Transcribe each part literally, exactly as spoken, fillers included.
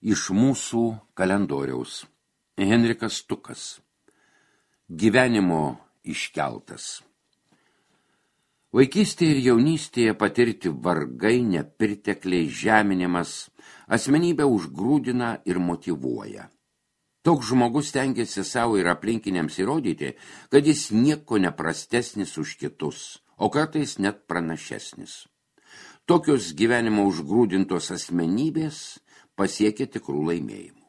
Iš mūsų kalendoriaus. Henrikas Stukas. Gyvenimo iškeltas. Vaikystėje ir jaunystėje patirti vargai, nepirtekliai, žeminimas, asmenybę užgrūdina ir motyvuoja. Toks žmogus stengiasi savo ir aplinkiniams įrodyti, kad jis nieko neprastesnis už kitus, o kartais net pranašesnis. Tokios gyvenimo užgrūdintos asmenybės pasiekė tikrų laimėjimų.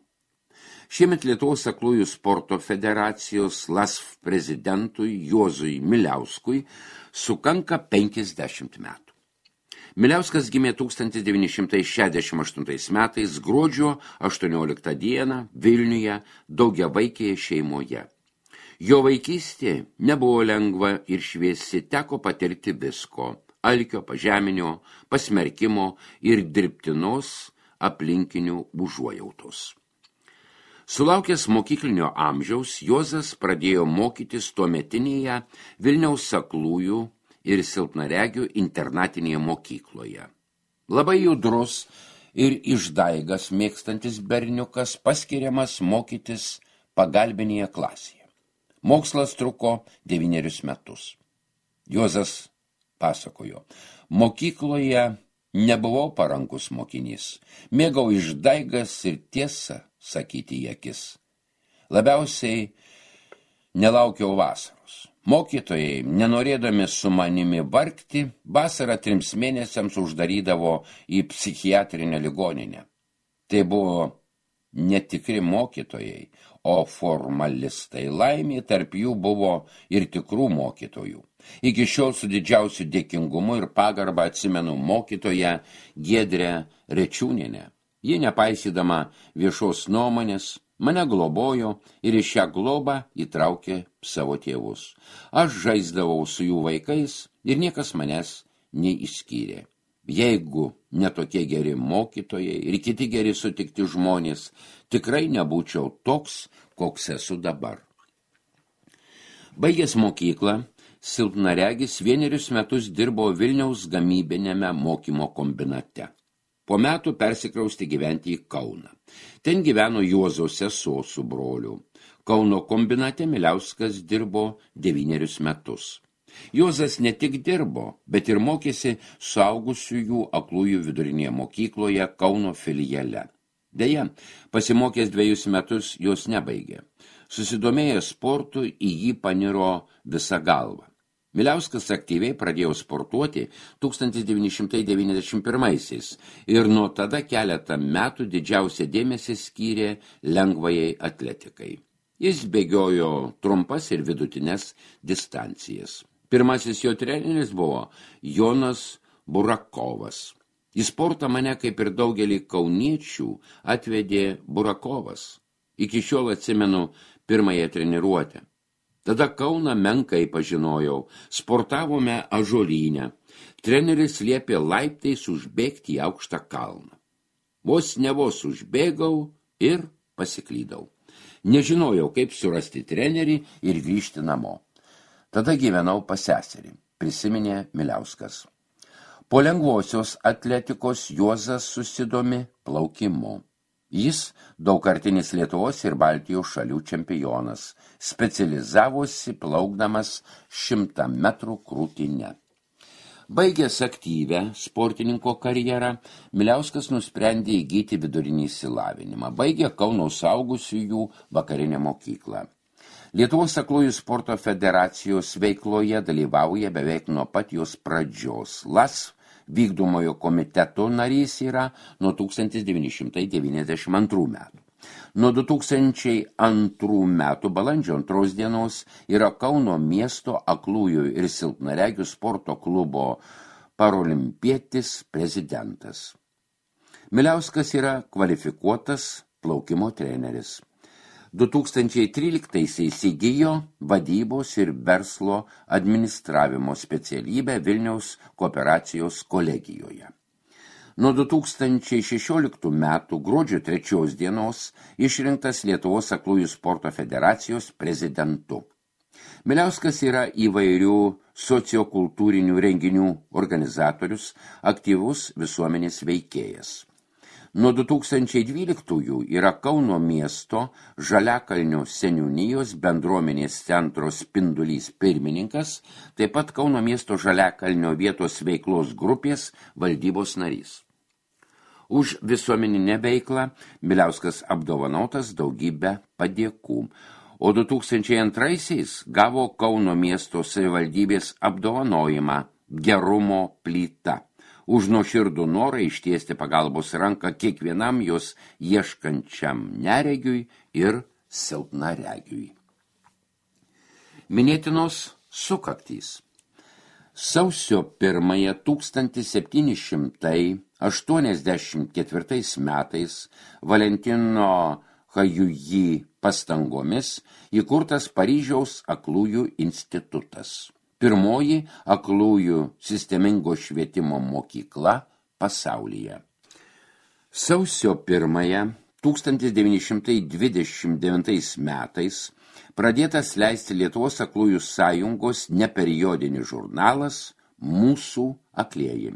Šiemet Lietuvos aklųjų sporto federacijos L A S F prezidentui Juozui Miliauskui sukanka penkiasdešimt metų. Miliauskas gimė tūkstantis devyni šimtai šešiasdešimt aštuntais metais gruodžio aštuonioliktą dieną Vilniuje daugiavaikėje šeimoje. Jo vaikystė nebuvo lengva ir šviesi, teko patirti visko – alkio, pažeminio, pasmerkimo ir dirbtinos aplinkinių užuojautos. Sulaukęs mokyklinio amžiaus, Juozas pradėjo mokytis tuometinėje Vilniaus aklųjų ir silpnaregių internatinėje mokykloje. Labai judrus ir išdaigas mėgstantis berniukas paskiriamas mokytis pagalbinėje klasėje. Mokslas truko devynerius metus. Juozas pasakojo, mokykloje nebuvau parankus mokinys, mėgau išdaigas ir tiesą sakyti į akis. Labiausiai nelaukiau vasaros. Mokytojai, nenorėdami su manimi vargti, vasarą trims mėnesiams uždarydavo į psichiatrinę ligoninę. Tai buvo netikri mokytojai, o formalistai. Laimė tarp jų buvo ir tikrų mokytojų. Iki šiol su didžiausiu dėkingumu ir pagarba atsimenu mokytoją Giedrę Rečiūnienę. Ji, nepaisydama viešos nuomonės, mane globojo ir į šią globą įtraukė savo tėvus. Aš žaisdavau su jų vaikais ir niekas manęs neišskyrė. Jeigu netokie geri mokytojai ir kiti geri sutikti žmonės, tikrai nebūčiau toks, koks esu dabar. Baigęs mokyklą, silpnaregis vienerius metus dirbo Vilniaus gamybinėme mokymo kombinate. Po metų persikrausti gyventi į Kauną. Ten gyveno Juozo sesuo su broliu. Kauno kombinate Miliauskas dirbo devynerius metus. Juozas ne tik dirbo, bet ir mokėsi suaugusiųjų aklųjų vidurinėje mokykloje Kauno filiale. Deja, pasimokęs dvejus metus jos nebaigė. Susidomėjęs sportu, į jį paniro visa galva. Miliauskas aktyviai pradėjo sportuoti tūkstantis devyni šimtai devyniasdešimt pirmaisiais ir nuo tada keletą metų didžiausią dėmesį skyrė lengvajai atletikai. Jis bėgiojo trumpas ir vidutinės distancijas. Pirmasis jo treneris buvo Jonas Burakovas. Į sportą mane, kaip ir daugelį kauniečių, atvedė Burakovas. Iki šiol atsimenu pirmąją treniruotę. Tada Kauną menkai pažinojau, sportavome Ąžuolyne. Treneris liepė laiptais užbėgti į aukštą kalną. Vos ne vos užbėgau ir pasiklydau. Nežinojau, kaip surasti trenerį ir grįžti namo. Tada gyvenau pas seserį, prisiminė Miliauskas. Po lengvosios atletikos Juozas susidomi plaukimu. Jis daugkartinis Lietuvos ir Baltijos šalių čempionas, specializavosi plaukdamas šimtą metrų krūtine. Baigęs aktyvę sportininko karjerą, Miliauskas nusprendė įgyti vidurinį išsilavinimą. Baigė Kauno suaugusiųjų vakarinę mokyklą. Lietuvos aklųjų sporto federacijos veikloje dalyvauja beveik nuo pat jos pradžios. L A S F vykdomojo komiteto narys yra nuo tūkstantis devyni šimtai devyniasdešimt antrų metų. Nuo du tūkstančiai antrų metų balandžio antros dienos yra Kauno miesto aklųjų ir silpnaregių sporto klubo parolimpietis prezidentas. Miliauskas yra kvalifikuotas plaukimo treneris. du tūkstančiai tryliktaisiais įgijo vadybos ir verslo administravimo specialybę Vilniaus kooperacijos kolegijoje. Nuo du tūkstančiai šešioliktų metų gruodžio trečios dienos išrinktas Lietuvos aklųjų sporto federacijos prezidentu. Miliauskas yra įvairių sociokultūrinių renginių organizatorius, aktyvus visuomenės veikėjas. Nuo du tūkstančiai dvyliktųjų yra Kauno miesto Žaliakalnio seniūnijos bendruomenės centro Spindulys pirmininkas, taip pat Kauno miesto Žaliakalnio vietos veiklos grupės valdybos narys. Už visuomeninę veiklą Miliauskas apdovanotas daugybę padėkų, o du tūkstančiai antraisiais gavo Kauno miesto savivaldybės apdovanojimą Gerumo plyta už nuoširdų norą ištiesti pagalbos ranką kiekvienam jos ieškančiam neregiui ir silpnaregiui. Minėtinos sukaktys. Sausio pirmąją tūkstantis septyni šimtai aštuoniasdešimt ketvirtais metais Valentino Hajuji pastangomis įkurtas Paryžiaus aklųjų institutas. Pirmoji aklųjų sistemingo švietimo mokykla pasaulyje. Sausio pirmąją tūkstantis devyni šimtai dvidešimt devintais metais pradėtas leisti Lietuvos aklųjų sąjungos neperiodinis žurnalas Mūsų aklieji.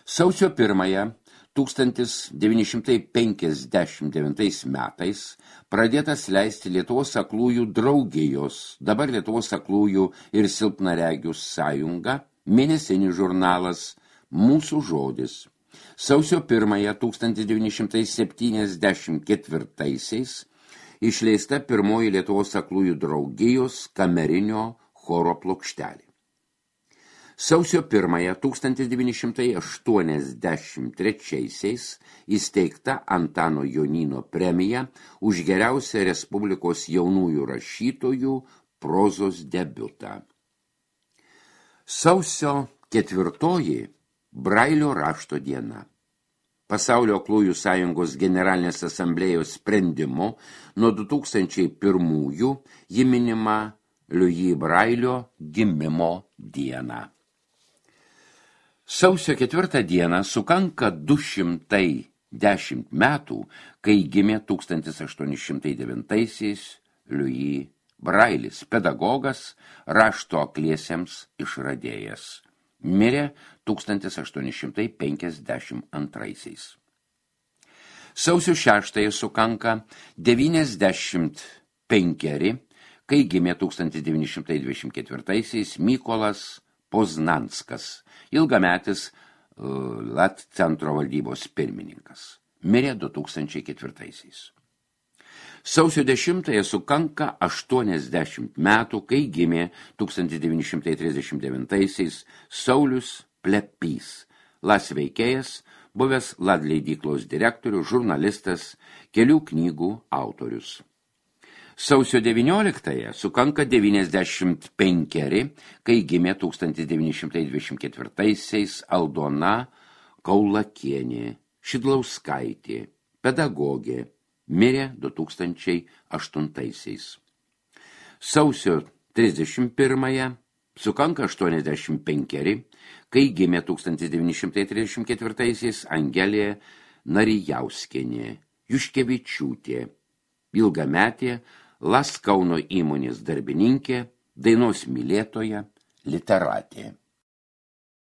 Sausio pirmąją tūkstantis devyni šimtai penkiasdešimt devintais metais pradėtas leisti Lietuvos aklųjų draugijos, dabar Lietuvos aklųjų ir silpnaregių sąjunga, mėnesinis žurnalas Mūsų žodis. Sausio pirmąją tūkstantis devyni šimtai septyniasdešimt ketvirtaisiais išleista pirmoji Lietuvos aklųjų draugijos kamerinio choro plokštelė. Sausio pirmąją tūkstantis devyni šimtai aštuoniasdešimt trečiaisiais įsteigta Antano Jonyno premija už geriausią Respublikos jaunųjų rašytojų prozos debiutą. Sausio ketvirtoji Brailio rašto diena. Pasaulio aklųjų sąjungos generalinės asamblėjos sprendimu nuo du tūkstančiai pirmųjų ji minima Louis Brailio gimimo dieną. Sausio ketvirtą dieną sukanka du šimtai dešimt metų, kai gimė tūkstantis aštuoni šimtai devintaisiais Louis Brailis, pedagogas, rašto akliesiems išradėjas. Mirė tūkstantis aštuoni šimtai penkiasdešimt antraisiais. Sausio šeštąją sukanka devyniasdešimt penkeri, kai gimė tūkstantis devyni šimtai dvidešimt ketvirtaisiais Mykolas Poznanskas, ilgametis uh, Lat centro valdybos pirmininkas. Mirė du tūkstančiai ketvirtaisiais. Sausio dešimtąją sukanka aštuoniasdešimt metų, kai gimė tūkstantis devyni šimtai trisdešimt devintaisiais Saulius Plepys, Las veikėjas, buvęs Lad leidyklos direktorius, žurnalistas, kelių knygų autorius. Sausio devynioliktąją sukanka devyniasdešimt penkeri, kai gimė tūkstantis devyni šimtai dvidešimt ketvirtaisiais Aldona Kaulakienė, Šidlauskaitė, pedagogė, mirė du tūkstančiai aštuntaisiais. Sausio trisdešimt pirmąją sukanka aštuoniasdešimt penkeri, kai gimė tūkstantis devyni šimtai trisdešimt ketvirtaisiais Angelė Narijauskienė, Juškevičiūtė, ilgametė Las Kauno įmonės darbininkė, dainos mylėtoja, literatė.